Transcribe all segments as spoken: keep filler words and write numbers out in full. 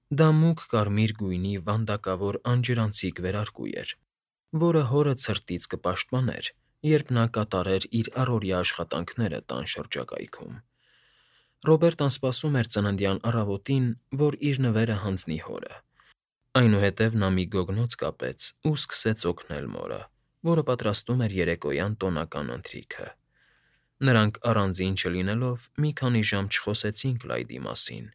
Դա մուգ կարմիր գույնի վանդակավոր անջրանցիկ վերարկու էր, որը հորը ցրտից կպաշտպաներ, երբ նա կատարեր իր առօրյա աշխատանքները տան շրջակայքում։ Ռոբերտն սպասում էր ծննդյան առավոտին, որ իր նվերը հանձնի հորը։ Այնուհետև նա մի գոգնոց կապեց ու սկսեց օգնել մորը, որը պատրաստում էր երեկոյան տոնական ընթրիքը։ Նրանք առանձին չլինելով մի քանի ժամ չխոսեցին Կլայդի մասին,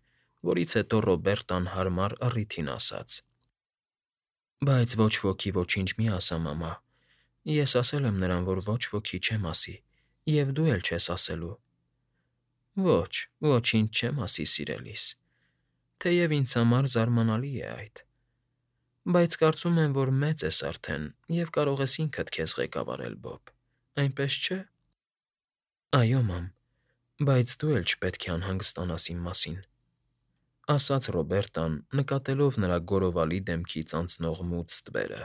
որից հետո Ռոբերտն հարմար առիթին ասաց. «Բայց ոչ ոքի ոչինչ մի ասա, մամա։ Ես ասել եմ նրան, որ ոչ ոքի չեմ ասի, և դու էլ չես ասելու»։ «Ոչ, ոչինչ չեմ ասի, սիրելիս, թեև ինձ համար զարմանալի է այդ։ Բայց կարծում եմ, որ մեծ ես արդեն և կարող ես ինքդ քեզ ղեկավարել, Բոբ, այնպես չէ՞։ «Այո, մամ, բայց դու էլ չպետք է անհանգստանաս իմ մասին», ֊ ասաց Ռոբերտն, նկատելով նրա գորովալի դեմքից անցնող մութ ստվերը,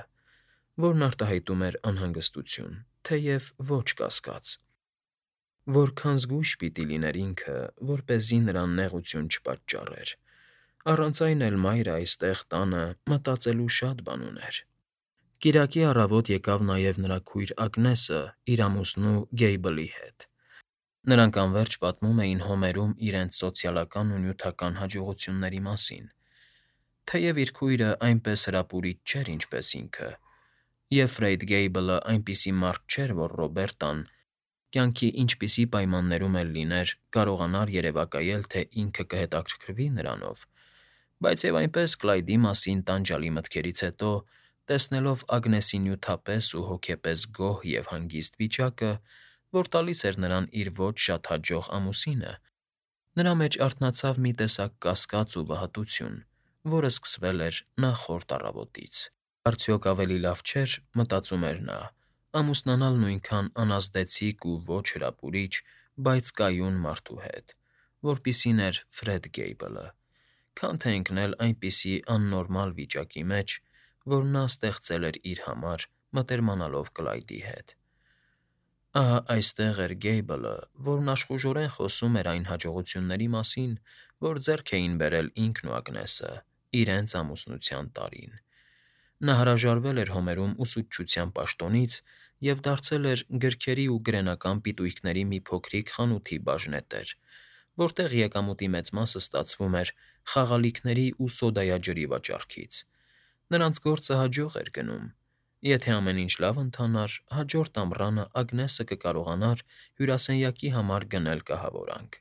որն արտահայտում էր անհանգստություն, թեև ոչ կասկած։ Որքան զգույշ պիտի լիներ ինքը, որպեսզի նրան նեղություն չպատճառեր, առանց այն էլ մայրը այստեղ տանը մտածելու շատ բան ուներ։ Կիրակի առավոտ եկավ նաև նրա քույր Ագնեսը իր ամուսնու Գեյբլի հետ։ Նրանք անվերջ պատմում էին Հոմերում իրենց սոցիալական ու նյութական հաջողությունների մասին, թեև իր քույրը այնպես հրապուրիչ չէր, ինչպես ինքը, և Ֆրեյդ Գեյբլը այնպիսի մարդ չէր, որ Ռոբերտն, կյանքի ինչպիսի պայմաններում էլ լիներ, կարողանար երևակայել, թե ինքը կհետաքրքրվի նրանով, բայց և այնպես Կլայդի մասին տանջալի մտքերից հետո, տեսնելով Ագնեսի նյութապես ու հոգեպես գոհ և հանգիստ վիճակը, որ տալիս էր նրան իր ոչ շատ հաջող ամուսինը, նրա մեջ արթնացավ մի տեսակ կասկած ու վհատություն, որը սկսվել էր նախորդ առավոտից։ Արդյոք ավելի լավ չէր, մտածում էր նա, ամուսնանալ նույնքան անազդեցիկ ու ոչ հրապուրիչ, բայց կայուն մարդու հետ, որպիսին էր Ֆրեդ Գեյբլը, քան թե ընկնել այնպիսի աննորմալ վիճակի մեջ, որ նա ստեղծել էր իր համար՝ մտերմանալով Կլայդի հետ։ Ահա այստեղ էր Գեյբլը, որն աշխուժորեն խոսում էր այն հաջողությունների մասին, որ ձեռք էին բերել ինքն ու Ագնեսը իրենց ամուսնության տարին։ Նա հրաժարվել էր Հոմերում ուսուցչության պաշտոնից և դարձել էր գրքերի ու գրենական պիտույքների մի փոքրիկ խանութի բաժնետեր, որտեղ եկամուտի մեծ մասը ստացվում էր խաղալիքների ու սոդայաջրի վաճառքից։ Նրանց գործը հաջող էր գնում։ Եթե ամեն ինչ լավ ընթանար, հաջորդ ամռանը Ագնեսը կկարողանար հյուրասենյակի համար գնել կահավորանք։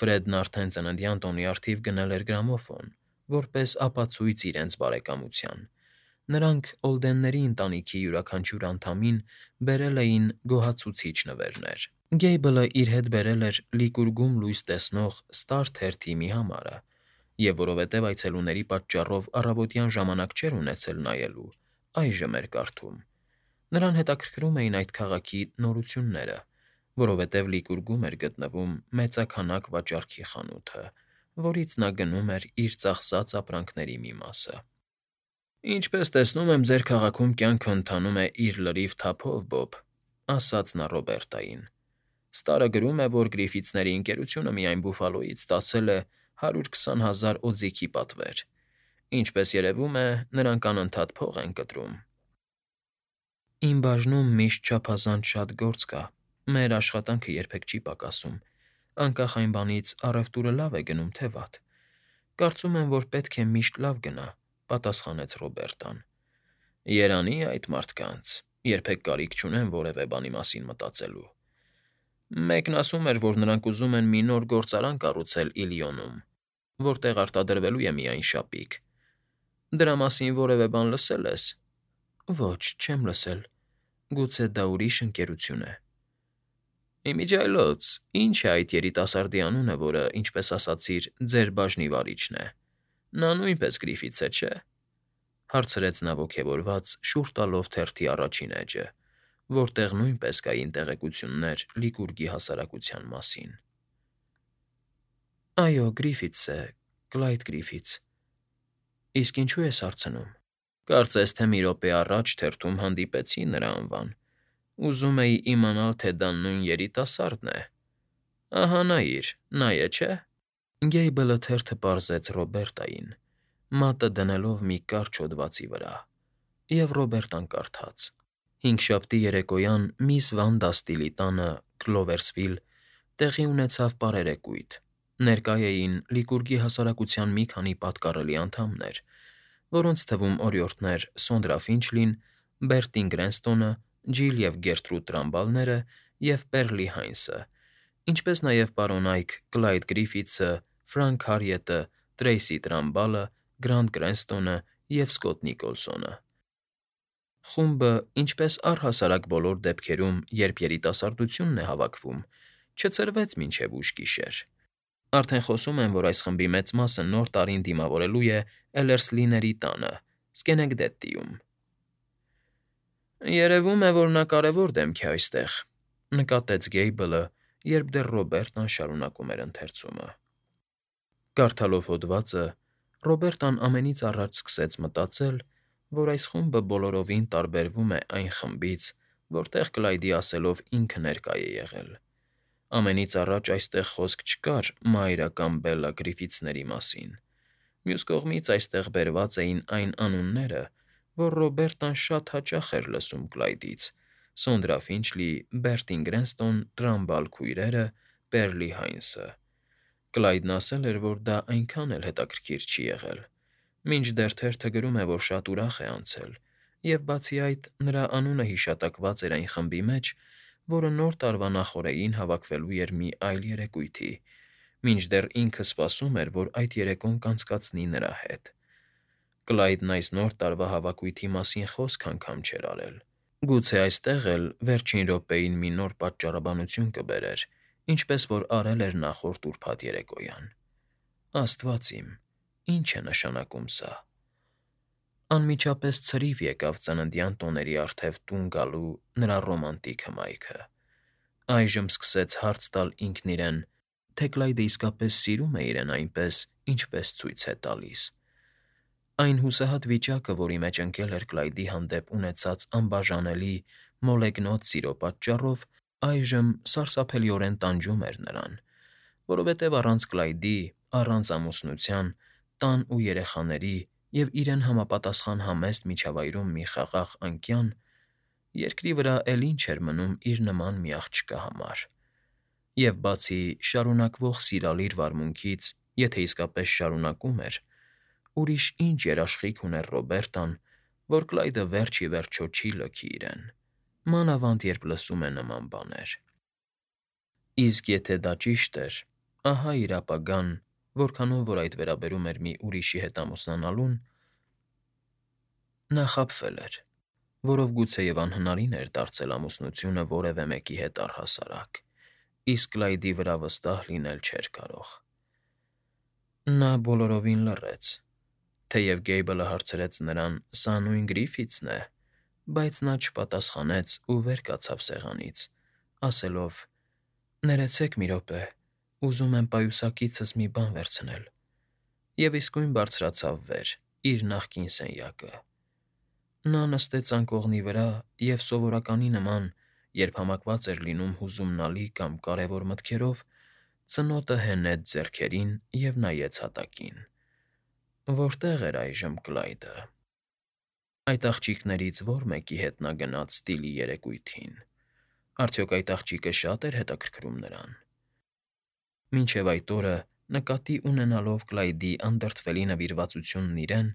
Ֆրեդն արդեն ծննդյան տոնի առթիվ գնել էր գրամոֆոն, որպես ապացույց իրենց բարեկամության։ Նրանք Օլդենների ընտանիքի յուրաքանչյուր անդամին բերել էին գոհացուցիչ նվերներ։ Գեյբլը իր հետ բերել էր Լիկուրգում լույս տեսնող Ստար թերթի մի համարը, և որովհետև այցելուների պատճառով առավոտյան ժամանակ չէր ունեցել նայելու, այժմ էր կարդում։ Նրան հետաքրքրում էին այդ քաղաքի նորությունները, որովհետև Լիկուրգում էր գտնվում մեծաքանակ վաճառքի խանութը, որից նա գնում էր իր ծախսած ապրանքների մի մասը։ «Ինչպես տեսնում եմ, ձեր քաղաքում կյանքն ընթանում է իր լրիվ թափով, Բոբ», ֊ ասաց նա Ռոբերտային։ «Ստարը գրում է, որ Գրիֆիթսների ընկերությունը միայն Բուֆալոյից ստացել է հարյուր քսան հազար օձիքի պատվեր։ Ինչպես երևում է, նրանք անընդհատ փող են կտրում»։ «Իմ բաժնում միշտ չափազանց շատ գործ կա, մեր աշխատանքը երբեք չի պակասում, անկախ այն բանից՝ առևտուրը լավ է գնում, թե վատ։ Կարծում եմ, որ պետք է միշտ լավ գնա», ֊ պատասխանեց Ռոբերտն։ «Երանի այդ մարդկանց, երբեք կարիք չունեն որևէ բանի մասին մտածելու։ Մեկն ասում էր, որ նրանք ուզում են մի նոր գործարան կառուցել Իլիոնում, որտեղ արտադրվելու է միայն շապիկ։ Դրա մասին որևէ բան լսե՞լ ես»։ «Ոչ, չեմ լսել։ Գուցե դա ուրիշ ընկերություն է»։ «Ի միջի այլոց ի՞նչ է այդ երիտասարդի անունը, որը, ինչպես ասացիր, ձեր բաժնի վարիչն է։ Նա նույնպես Գրիֆիթս է, չէ՞, ֊ հարցրեց նա ոգևորված, շուռ տալով թերթի առաջին էջը, որտեղ նույնպես կային տեղեկություններ Լիկուրգի հասարակության մասին։ ֊ Այո, Գրիֆիթս է, Կլայդ Գրիֆիթս։ Իսկ ինչու ես հարցնում։ Կարծես թե մի րոպե առաջ թերթում հանդիպեցի նրա անվան։ Ուզում էի իմանալ, թե դա նույն երիտասա՞րդն է։ Ահա նայիր, նա է, չէ՞։ Գեյբլը թերթը պարզեց Ռոբերտային, մատը դնելով մի կարճ հոդվածի վրա, և Ռոբերտան կարդաց. Հինգշաբթի երեկոյան միս Վանդա Ստիլի տանը, Քլովերսվիլ, տեղի ունեցավ պարերեկույթ. ներկա էին Լիկուրգի հասարակության մի քանի պատկառելի անդամներ, որոնց թվում օրիորդներ Սոնդրա Ֆինչլին, Բերտին Գրենստոնը, Ջիլ և Գերտրուդ Տրամբալները և Պերլի Հայնսը, ինչպես նաև պարոնայք Կլայդ Գրիֆիթսը, Ֆրանք Հարիետը, Տրեյսի Տրամբալը, Գրանտ Գրենստոնը և Սքոթ Նիկոլսոնը։ Խումբը, ինչպես առհասարակ բոլոր դեպքերում, երբ երիտասարդությունն է հավաքվում, չցրվեց մինչև ուշ գիշեր։ Արդեն խոսում եմ, որ այս խմբի մեծ մասը Նոր տարին դիմավորելու է Էլերսլիների տանը, Սքենեկդեթիում։ «Երևում է, որ նա կարևոր դեմք է այստեղ», ֊ նկատեց Գեյբլը, երբ դեռ Ռոբերտան շարունակում էր ընթերցումը։ Կարդալով հոդվածը՝ Ռոբերտան ամենից առաջ սկսեց մտածել, որ այս խումբը բոլորովին տարբերվում է այն խմբից, որտեղ Կլայդի ասելով ինքը ներկա է եղել։ Ամենից առաջ այստեղ խոսք չկար Մայրա կամ Բելլա Գրիֆիթսների մասին։ Մյուս կողմից այստեղ բերված էին այն անունները, որ Ռոբերտան շատ հաճախ էր լսում Կլայդից՝ Սոնդրա Ֆինչլի, Բերտին Գրենստոն, Տրամբալ քույրերը, Պերլի Հայնսը։ Կլայդն ասել էր, որ դա այնքան էլ հետաքրքիր չի եղել, մինչդեռ թերթը գրում է, որ շատ ուրախ է անցել, և բացի այդ, նրա անունը հիշատակված էր այն խմբի մեջ, որը Նոր տարվա նախօրեին հավաքվելու էր մի այլ երեկույթի, մինչդեռ ինքը սպասում էր, որ այդ երեկոն կանցկացնի նրա հետ։ Կլայդն այս Նոր տարվա հավաքույթի մասին խոսք անգամ չէր արել։ Գուցե այստեղ էլ վերջին րոպեին մի նոր պատճառաբանություն կբերեր, ինչպես որ արել էր նախորդ ուրբաթ երեկոյան։ Աստված իմ, ի՞նչ է նշանակում սա։ Անմիջապես ցրիվ եկավ ծննդյան տոների առթև տուն գալու նրա ռոմանտիկ հմայքը։ Այժմ սկսեց հարց տալ ինքն իրեն, թե Կլայդը իսկապես սիրում է իրեն այնպես, ինչպես ցույց է տալիս։ Այն հուսահատ վիճակը, որի մեջ ընկել էր Կլայդի հանդեպ ունեցած անբաժանելի, մոլեգնոտ սիրո պատճառով, այժմ սարսափելիորեն տանջում էր նրան, որովհետև առանց Կլայդի, առանց ամուսնության, տան ու երեխաների և իրեն համապատասխան համեստ միջավայրում մի խաղաղ անկյան, երկրի վրա էլ ինչ էր մնում իր նման մի աղջկա համար։ Եվ բացի շարունակվող սիրալիր վարմունքից, եթե իսկապես շարունակում էր, ուրիշ ինչ երաշխիք ուներ Ռոբերտան, որ Կլայդը վերջ ի վերջո չի լքի իրեն, մանավանդ երբ լսում է նման բաներ։ Իսկ եթե դա ճիշտ էր, ահա իր ապագան, որքանով որ այդ վերաբերում էր մի ուրիշի հետ ամուսնանալուն, նա խաբվել էր, որով գուցեև անհնարին էր դարձել ամուսնությունը որևէ մեկի հետ առհասարակ, իսկ Կլայդի վրա վստահ լինել չէր կարող։ Նա բոլորովին լռեց, թեև Գեյբլը հարցրեց նրան՝ սա նույն Գրիֆիթսն է, բայց նա չպատասխանեց ու վեր կացավ սեղանից, ասելով. «Ներեցեք մի րոպե, ուզում եմ պայուսակիցս մի բան վերցնել», և իսկույն բարձրացավ վեր, իր նախկին սենյակը։ Նա նստեց անկողնի վրա և, սովորականի նման, երբ համակված էր լինում հուզումնալի կամ կարևոր մտքերով, ծնոտը հենեց ձեռքերին և նայեց հատակին։ Որտե՞ղ էր այժմ Կլայդը։ Այդ աղջիկներից ո՞ր մեկի հետ նա գնաց Ստիլի երեկույթին։ Արդյոք այդ աղջիկը շատ էր հետաքրքրում նրան։ Մինչև այդ օրը, նկատի ունենալով Կլայդի անդրդվելի նվիրվածությունն իրեն,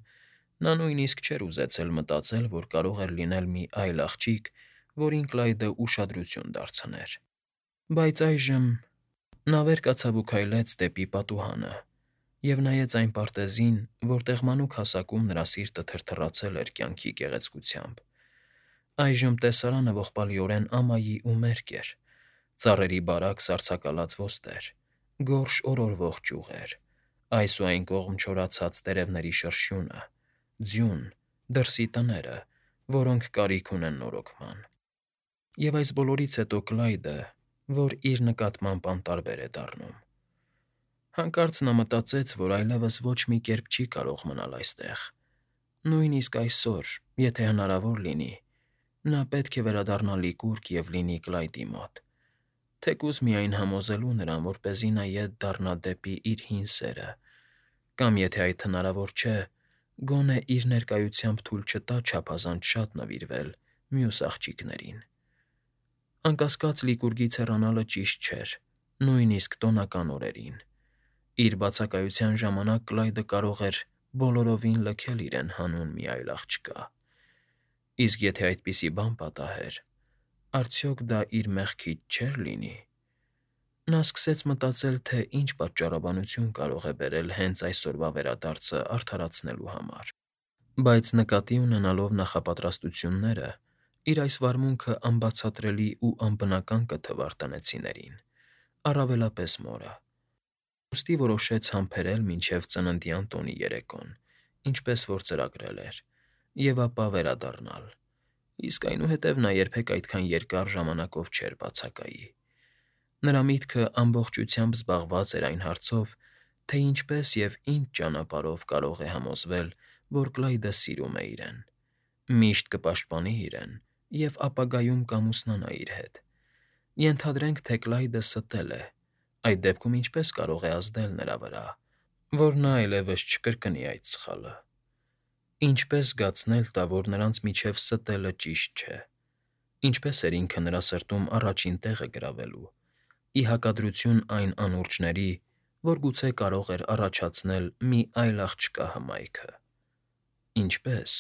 նա նույնիսկ չէր ուզեցել մտածել, որ կարող էր լինել մի այլ աղջիկ, որին Կլայդը ուշադրություն դարձներ։ Բայց այժմ… Նա վեր կացավ ու քայլեց դեպի պատուհանը և նայեց այն պարտեզին, որտեղ մանուկ հասակում նրա սիրտը թրթռացել էր կյանքի գեղեցկությամբ։ Այժմ տեսարանը ողբալիորեն ամայի ու մերկ էր, ծառերի բարակ սառցակալած ոստեր, գորշ օրորվող ճյուղեր, այս ու այն կողմ չորացած տերևների շրշյունը, ձյուն, դրսի տները, որոնք կարիք ունեն նորոգման։ Եվ այս բոլորից հետո Կլայդը, որ իր նկատմամբ անտարբեր է դառնում։ Հանկարծ նա մտածեց, որ այլևս ոչ մի կերպ չի կարող մնալ այստեղ։ Նույնիսկ այսօր, եթե հնարավոր լինի, նա պետք է վերադառնա Լիկուրգ և լինի Կլայդի մոտ, թեկուզ միայն համոզելու նրան, որպեսզի նա ետ դառնա դեպի իր հին սերը, կամ եթե այդ հնարավոր չէ, գոնե իր ներկայությամբ թույլ չտա չափազանց շատ նվիրվել մյուս աղջիկներին։ Անկասկած Լիկուրգից հեռանալը ճիշտ չէր, նույնիսկ տոնական օրերին։ Իր բացակայության ժամանակ Կլայդը կարող էր բոլորովին լքել իրեն հանուն մի այլ աղջկա։ Իսկ եթե այդպիսի բան պատահեր, արդյոք դա իր մեղքից չէր լինի։ Նա սկսեց մտածել, թե ինչ պատճառաբանություն կարող է բերել հենց այսօրվա վերադարձը արդարացնելու համար։ Բայց նկատի ունենալով նախապատրաստությունները, իր այս վարմունքը անբացատրելի ու անբնական կթվար տնեցիներին, առավելապես մորը։ Ուստի որոշեց համբերել մինչև ծննդյան տոնի երեկոն, ինչպես որ ծրագրել էր, և ապա վերադառնալ, իսկ այնուհետև նա երբեք այդքան երկար ժամանակով չէր բացակայի։ Նրա միտքը ամբողջությամբ զբաղված էր այն հարցով, թե ինչպես և ինչ ճանապարհով կարող է համոզվել, որ Կլայդը սիրում է իրեն, միշտ կպաշտպանի իրեն և ապագայում կամուսնանա իր հետ։ Ենթադրենք, թե Կլայդը ստել է, այդ դեպքում ինչպե՞ս կարող է ազդել նրա վրա, որ նա այլևս չկրկնի այդ սխալը։ Ինչպե՞ս զգացնել տա, որ նրանց միջև ստելը ճիշտ չէ։ Ինչպե՞ս էր ինքը նրա սրտում առաջին տեղը գրավելու, ի հակադրություն այն անուրջների, որ գուցե կարող էր առաջացնել մի այլ աղջկա հմայքը։ Ինչպե՞ս։